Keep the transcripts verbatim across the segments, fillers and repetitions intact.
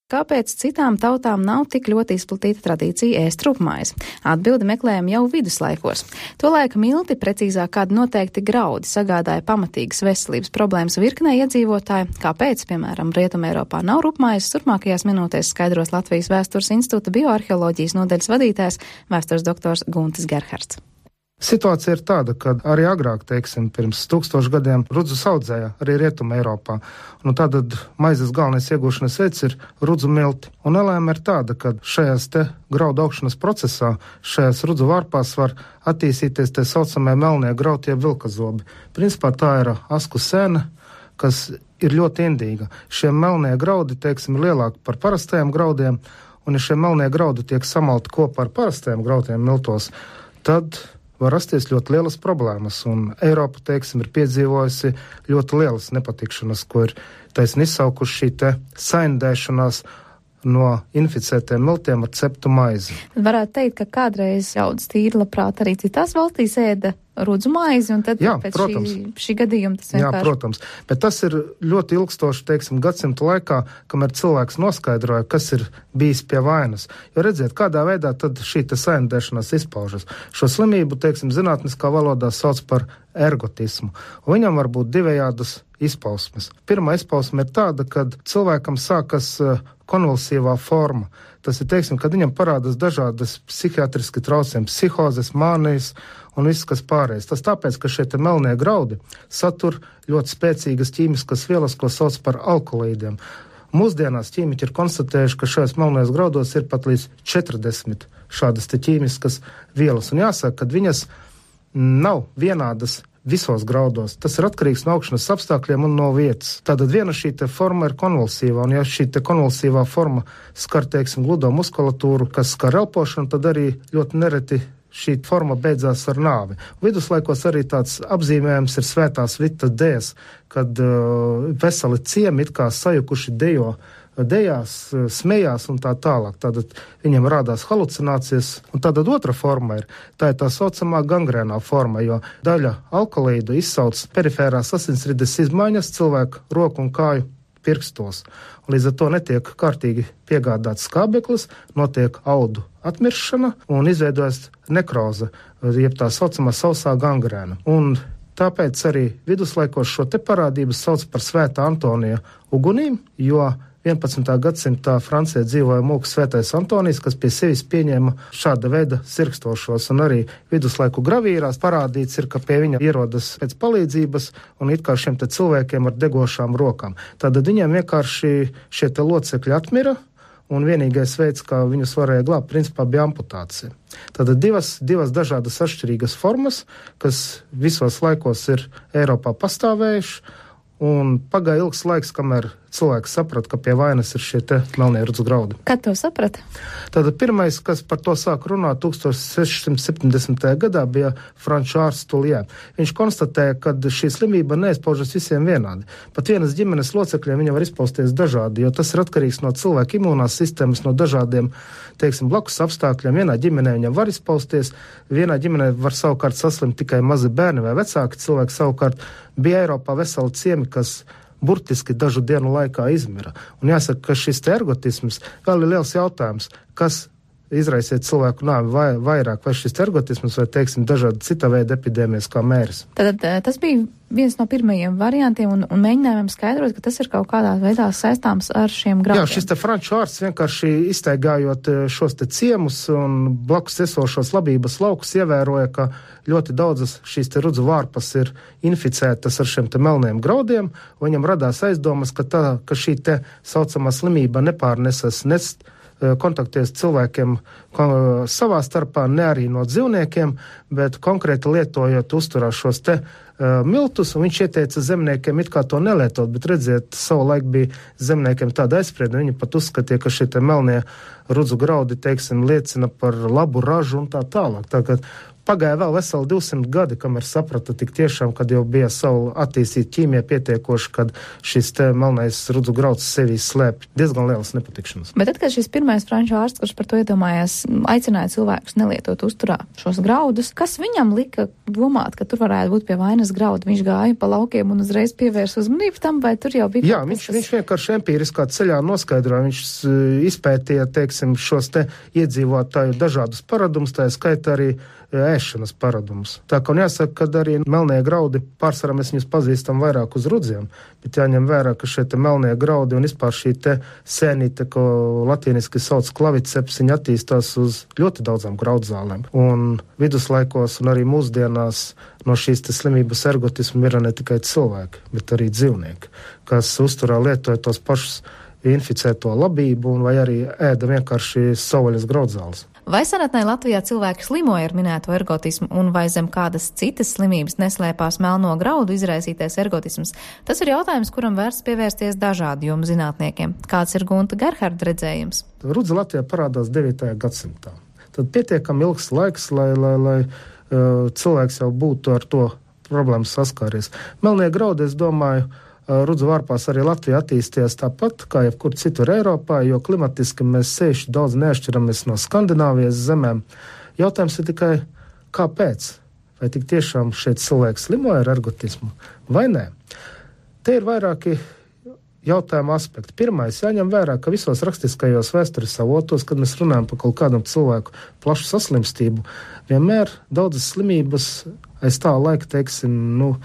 Kāpēc citām tautām nav tik ļoti izplatīta tradīcija ēst rupmaizi? Atbildi meklējam jau viduslaikos. Tolaik milti, precīzāk kādi noteikti graudi, sagādāja pamatīgas veselības problēmas virknē iedzīvotāju. Kāpēc, piemēram, Rietumē Eiropā nav rupmaizes, turpmākajās minūtēs skaidros Latvijas Vēstures institūta bioarheoloģijas nodaļas vadītājs, vēstures doktors Guntis Gerhards. Situācija ir tāda, ka arī agrāk, teiksim, pirms tūkstošu gadiem rudzus audzēja arī Rietuma Eiropā. Un tātad maizes galvenais iegūšanas veids ir rudzu milti. Un nelēma ir tāda, ka šajās te graudu augšanas procesā, šajās rudzu vārpās var attīstīties tie saucamie melnie grautie vilkazobi. Principā tā ir asku sēne, kas ir ļoti indīga. Šie melnie graudi, teiksim, ir lielāki par parastajiem graudiem, un ja šie melnie graudi tiek samalti kopā ar parastajiem graudiem miltos, tad var rasties ļoti lielas problēmas, un Eiropa, teiksim, ir piedzīvojusi ļoti lielas nepatikšanas, ko ir taisni izsaukuši šī te saindēšanās no inficētiem miltiem ar ceptu maizi. Varētu teikt, ka kādreiz ļaudis tīri labprāt arī citās valstīs ēda rudzu maizi, un tad Jā, pēc protams. šī, šī gadījuma tas vienkārši... Jā, protams, bet tas ir ļoti ilgstoši, teiksim, gadsimtu laikā, kamēr cilvēks noskaidroja, kas ir bijis pie vainas. Jo redziet, kādā veidā tad šī te saindēšanās izpaužas. Šo slimību, teiksim, zinātniskā valodā sauc par ergotismu. Un viņam var būt divējādas izpausmes. Pirmā izpausme ir tāda, kad cilvēkam sākas konvulsīvā forma. Tas ir, teiksim, kad viņam parādās dažādas psihiatriski traucējumi, psihozes, mānijas un viss, kas pārējais. Tas tāpēc, ka šie te melnie graudi satur ļoti spēcīgas ķīmiskas vielas, ko sauc par alkaloīdiem. Mūsdienās ķīmiķi ir konstatējuši, ka šajos melnajos graudos ir pat līdz četrdesmit šādas te ķīmiskas vielas. Un jāsaka, ka viņas nav vienādas visos graudos. Tas ir atkarīgs no augšanas apstākļiem un no vietas. Tātad viena šī te forma ir konvulsīvā, un ja šī te konvulsīvā forma skar, teiksim, gludo muskulatūru, kas skar elpošanu, tad arī ļoti nereti šī forma beidzās ar nāvi. Viduslaikos arī tāds apzīmējums ir svētās Vitas dējas, kad uh, veseli ciemi it kā sajukuši dejo, dejās, smējās un tā tālāk. Tātad viņam rādās halucinācijas, un tātad otra forma ir, tā ir tā saucamā gangrēnā forma, jo daļa alkaloīdu izsauc perifērās asinsrites izmaiņas cilvēku roku un kāju pirkstos. Un līdz ar to netiek kārtīgi piegādāts skābeklis, notiek audu atmiršana un izveidojas nekroze, jeb tā saucamā sausā gangrēna. Un tāpēc arī viduslaikos šo te parādību sauc par Svētā Antonija ugunīm, jo vienpadsmitā gadsimtā Francijā dzīvoja mūks Svētais Antonijs, kas pie sevis pieņēma šāda veida sirkstošos, un arī viduslaiku gravīrās parādīts ir, ka pie viņa ierodas pēc palīdzības un it kā šiem te cilvēkiem ar degošām rokām. Tātad viņiem vienkārši šie te locekļi atmira, un vienīgais veids, kā viņus varēja glābt, principā bija amputācija. Tātad divas, divas dažādas atšķirīgas formas, kas visos laikos ir Eiropā pastāvējuši, un pagāja ilgs laiks, kamēr cilvēks saprata, ka pie vainas ir šie te melnie rudzu graudi. Kad to saprata? Tātad pirmais, kas par to sāk runāt tūkstoš seši septiņdesmitajā gadā, bija franču ārsts Tuljē. Viņš konstatēja, ka šī slimība neizpaužas visiem vienādi. Pat vienas ģimenes locekļiem viņa var izpausties dažādi, jo tas ir atkarīgs no cilvēka imūnās sistēmas, no dažādiem, teiksim, blakus apstākļiem. Vienā ģimenē viņam var izpausties, vienā ģimenē var savukārt saslimt tikai mazi bērni vai vecāki cilvēki. Savukārt bija Eiropā veseli ciemi, kas burtiski dažu dienu laikā izmira. Un jāsaka, ka šis te ergotisms vēl ir liels jautājums, kas izraisiet cilvēku nāvi vai, vairāk, vai šis ergotisms, vai, teiksim, dažādi cita veida epidēmijas kā mēris. Tad tas bija viens no pirmajiem variantiem un, un mēģinājumiem skaidrot, ka tas ir kaut kādā veidā saistāms ar šiem graudiem. Jā, šis te franču ārsts vienkārši iztaigājot šos te ciemus un blakus esošos labības laukus ievēroja, ka ļoti daudzas šīs te rudzu vārpas ir inficētas ar šiem te melniem graudiem, un viņam radās aizdomas, ka, tā, ka šī te saucamā slimība nepārnesas nes kontaktēs cilvēkiem savā starpā, ne arī no dzīvniekiem, bet konkrēti lietojot uzturā šos te uh, miltus, un viņš ieteica zemniekiem it kā to nelietot, bet redziet, savu laiku bija zemniekiem tāda aizsprieduma, viņi pat uzskatīja, ka šie te melnie rudzu graudi, teiksim, liecina par labu ražu un tā tālāk. Tā, Pagāja vēl veseli divsimt gadi, kamēr saprata tik tiešām, kad jau bija savu attīstīt ķīmija pietiekoši, kad šis te melnais rudzu grauds sevī slēp diezgan lielas nepatikšanas. Bet tad, kad šis pirmais franču ārsts, kurš par to iedomājās, aicināja cilvēkus nelietot uzturā šos graudus, kas viņam lika domāt, ka tur varētu būt pie vainas graudu? Viņš gāja pa laukiem un uzreiz pievērs uzmanību tam, vai tur jau bija? Jā, viņš, tas... viņš vienkārši empiriskā ceļā noskaidroja, viņš izpētīja, teiksim, šos te iedzīvotāju dažādus paradumus, tā skaitā arī ēšanas paradumus. Tā kā un jāsaka, ka arī melnie graudi, pārsvarā mēs viņus pazīstam vairāk uz rudziem, bet jāņem vērā, ka šie te melnie graudi un vispār šī te sēnīte, ko latīniski sauc klaviceps, viņi attīstās uz ļoti daudzām graudzālēm. Un viduslaikos un arī mūsdienās no šīs te slimības ergotismu ir ne tikai cilvēki, bet arī dzīvnieki, kas uzturā lietoja tos pašus inficēto labību un vai arī ēda vienkārši savvaļas graudzāles. Vai senatnē Latvijā cilvēki slimoja ar minēto ergotismu un vai zem kādas citas slimības neslēpās melno graudu izraisītais ergotisms? Tas ir jautājums, kuram vērts pievērsties dažādu jomu zinātniekiem. Kāds ir Gunta Gerharda redzējums? Rudze Latvijā parādās devītajā gadsimtā. Tad pietiekami ilgs laiks, lai, lai, lai uh, cilvēks jau būtu ar to problēmu saskāries. Melnie graudi, es domāju, rudzu vārpās arī Latvija attīstījās tāpat, kā jebkur citur Eiropā, jo klimatiski mēs sevišķi daudz neatšķiramies no Skandināvijas zemēm. Jautājums ir tikai, kāpēc? Vai tik tiešām šeit cilvēks slimoja ar ergotismu, vai nē? Te ir vairāki jautājumu aspekti. Pirmais, jāņem vērā, ka visos rakstiskajos vēstures avotos, kad mēs runājam par kaut kādam cilvēku plašu saslimstību, vienmēr daudzas slimības aiz tā laika, teiksim, nu,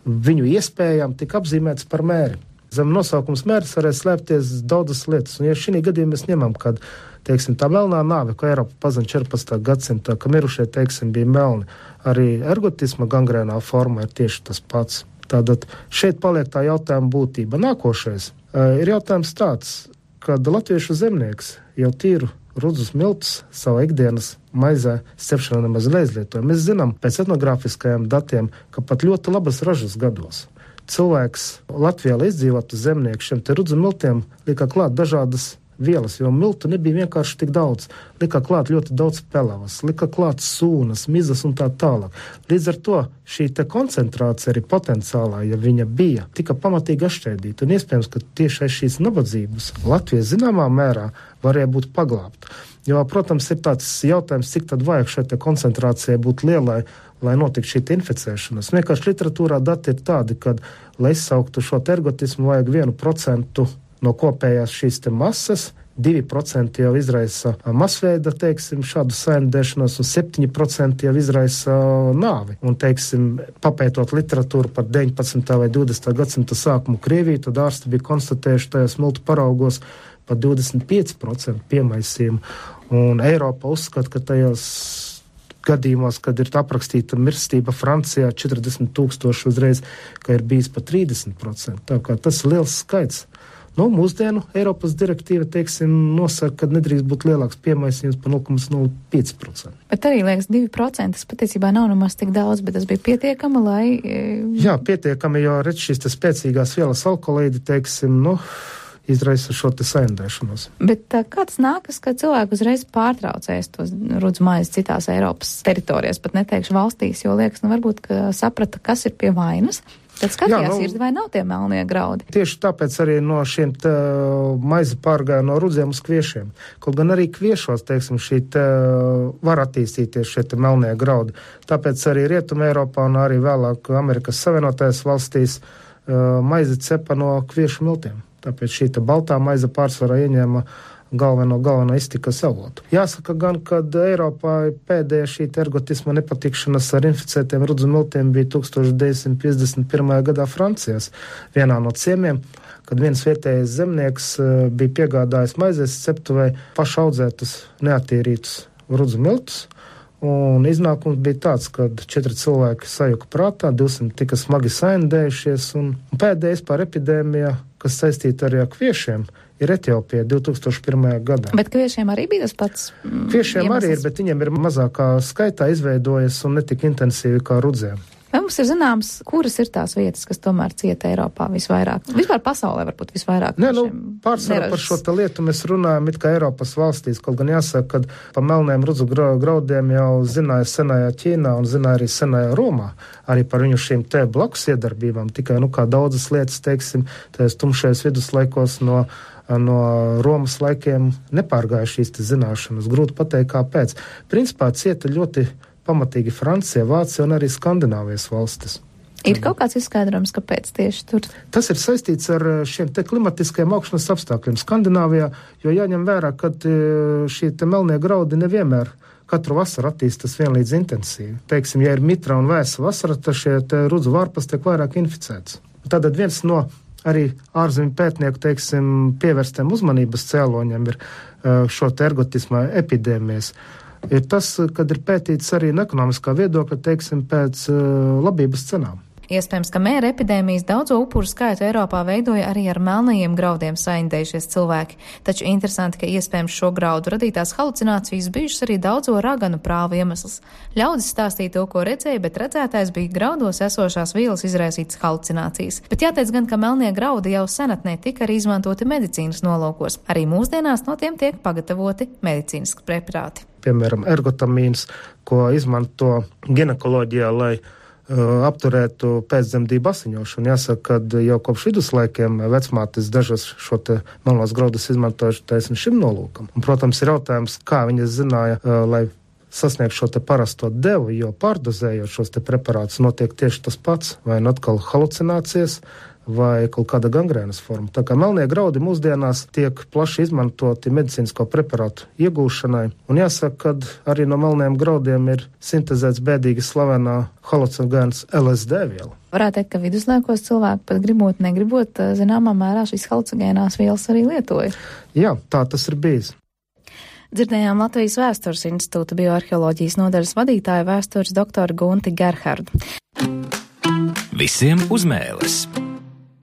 viņu iespējām tika apzīmēts par mēri. Zem nosaukums mēris varēja slēpties daudzas lietas, un ja šī gadījumā mēs ņemam, kad, teiksim, tā melnā nāve, ko Eiropa pazina četrpadsmitā gadsimtā, ka mirušie, teiksim, bija melni, arī ergotisma gangrēnā forma ir tieši tas pats. Tātad šeit paliek tā jautājuma būtība. Nākošais uh, ir jautājums tāds, kad latviešu zemnieks jau tīru rudzus miltus savā ikdienas maizē cepšanā nemaz neizlietoja. Mēs zinām pēc etnogrāfiskajiem datiem, ka pat ļoti labas ražas gados cilvēks Latvijā, lai izdzīvotu zemnieku, šiem te rudzu miltiem lika klāt dažādas vielas, jo miltu nebija vienkārši tik daudz. Lika klāt ļoti daudz pelavas, lika klāt sūnas, mizas un tā tālāk. Līdz ar to šī te koncentrācija arī potenciālā, ja viņa bija, tika pamatīgi atšķēdīta. Un iespējams, ka tieši aiz šīs nabadzības Latvija zināmā mērā varēja būt paglābta. Jo, protams, ir tāds jautājums, cik tad vajag šai te koncentrācijai būt lielai, lai notiktu šī infecēšanas. Vienkārši literatūrā dati ir tādi, kad, lai izsauktu šo ergotismu, vajag vienu procentu no kopējās šīs te masas, divi procenti jau izraisa masveida, teiksim, šādu saindēšanos, un septiņi procenti jau izraisa nāvi. Un, teiksim, papētot literatūru par deviņpadsmitā vai divdesmitā gadsimta sākumu Krieviju, tad ārsti bija konstatējuši tajos miltu paraugos par divdesmit pieci procenti piemaisījumu. Un Eiropa uzskata, ka tajos gadījumos, kad ir aprakstīta mirstība Francijā četrdesmit tūkstoši uzreiz, ka ir bijis pat trīsdesmit procenti. Tā kā tas ir liels skaits. Nu, mūsdienu Eiropas direktīva, teiksim, nosaka, ka nedrīkst būt lielāks piemaisījums par nulle komats nulle pieci procenti. Bet arī, liekas, divi procenti, tas patiesībā nav nemaz tik daudz, bet tas bija pietiekami, lai... Jā, pietiekami, jo redz šīs te spēcīgās vielas alkoholīdi, teiksim, nu, izraisa šo te saindēšanos. Bet tā, kā tas nākas, ka cilvēki uzreiz pārtraucēs tos rudzu maizes citās Eiropas teritorijās, pat neteikšu valstīs, jo liekas, nu varbūt, ka saprata, kas ir pie vainas. Tad skatījās, nu, ir vai nav tie melnie graudi. Tieši tāpēc arī no šiem te maize pārgāja no rudziem uz kviešiem. Kaut gan arī kviešos, teiksim, šī te var attīstīties šie te melnie graudi. Tāpēc arī Rietuma Eiropā un arī vēlāk Amerikas Savienotajās valstīs maize cepa no kviešu miltiem. Tāpēc šī te baltā maize pārsvarā ieņēma galveno, galveno iztikas avotu. Jāsaka gan, kad Eiropā pēdējā šī ergotisma nepatikšanas ar inficētiem rudzu miltiem bija tūkstoš deviņsimt piecdesmit pirmajā gadā Francijas vienā no ciemiem, kad viens vietējais zemnieks bija piegādājis maizes ceptuvei pašaudzētus neattīrītus rudzu miltus, un iznākums bija tāds, kad četri cilvēki sajuka prātā, divsimt tika smagi saindējušies, un pēdējais par epidēmijā, kas saistīta arī ar kviešiem, ir Etiopija divi tūkstoši pirmajā gadā. Bet kviešiem arī bija tas pats? Kviešiem iemesls. Arī ir, bet viņiem ir mazākā skaitā izveidojas un netik intensīvi kā rudzēm. Vai mums ir zināms, kuras ir tās vietas, kas tomēr cieta Eiropā visvairāk? Vispār pasaulē varbūt visvairāk. Nē, nu, pārsvarā par šo te lietu mēs runājam it kā Eiropas valstīs, kaut gan jāsaka, ka pa melniem rudzu graudiem jau zināja senajā Ķīnā un zināja arī senajā Romā, arī par viņu šīm te blakus iedarbībām, tikai, nu, kā daudzas lietas, teiksim, tajos tumšajos viduslaikos no no Romas laikiem nepārgāja šīs te zināšanas. Grūti pateikt, kāpēc. Principā cieta ļoti pamatīgi Francija, Vācija un arī Skandināvijas valstis. Ir kaut kāds izskaidrojums, kāpēc tieši tur? Tas ir saistīts ar šiem te klimatiskajiem augšanas apstākļiem Skandināvijā, jo jāņem vērā, ka šī te melnie graudi nevienmēr katru vasaru attīstas vienlīdz intensīvi. Teiksim, ja ir mitra un vēsa vasara, tad šie te rudzu vārpas tiek vairāk inficēts. Tātad viens no arī ārzemju pētnieku, teiksim, pievērstiem uzmanības cēloņiem ir šo te ergotisma epidēmijas. Ir tas, kad ir pētīts arī no ekonomiskā viedokļa, teiksim, pēc labības cenām. Iespējams, ka mēra epidēmijas daudzo upuru skaitu Eiropā veidoja arī ar melnajiem graudiem saindējušies cilvēki. Taču interesanti, ka iespējams šo graudu radītās halucinācijas bijušas arī daudzo raganu prāvu iemesls. Ļaudis stāstīja to, ko redzēja, bet redzētājs bija graudos esošās vielas izraisītas halucinācijas. Bet jāteic gan, ka melnie graudi jau senatnē tika arī izmantoti medicīnas nolūkos. Arī mūsdienās no tiem tiek pagatavoti medicīniski preparāti. Piemēram, ergotamīns, ko izmanto ginekoloģijā, lai apturētu pēcdzemdību asiņošanu. Jāsaka, ka jau kopš viduslaikiem vecmātes dažas šo te melnos graudus izmantojuši taisni šim nolūkam. Un, protams, ir jautājums, kā viņas zināja, lai sasniegt šo te parasto devu, jo pārdozējot šos te preparātus notiek tieši tas pats, vai nu atkal halucinācijas, vai kaut kāda gangrēnas forma. Tā kā melnie graudi mūsdienās tiek plaši izmantoti medicīnisko preparātu iegūšanai, un jāsaka, ka arī no melniem graudiem ir sintezēts bēdīgi slavenā halucinogēns L S D viela. Varētu teikt, ka viduslaikos cilvēki pat gribot, negribot, zināmā mērā šīs halucinogēnās vielas arī lietoja. Jā, tā tas ir bijis. Dzirdējām Latvijas Vēstures institūta bioarheoloģijas nodaļas vadītāju vēstures doktoru Gunti Gerhardu. Visiem uz mēles!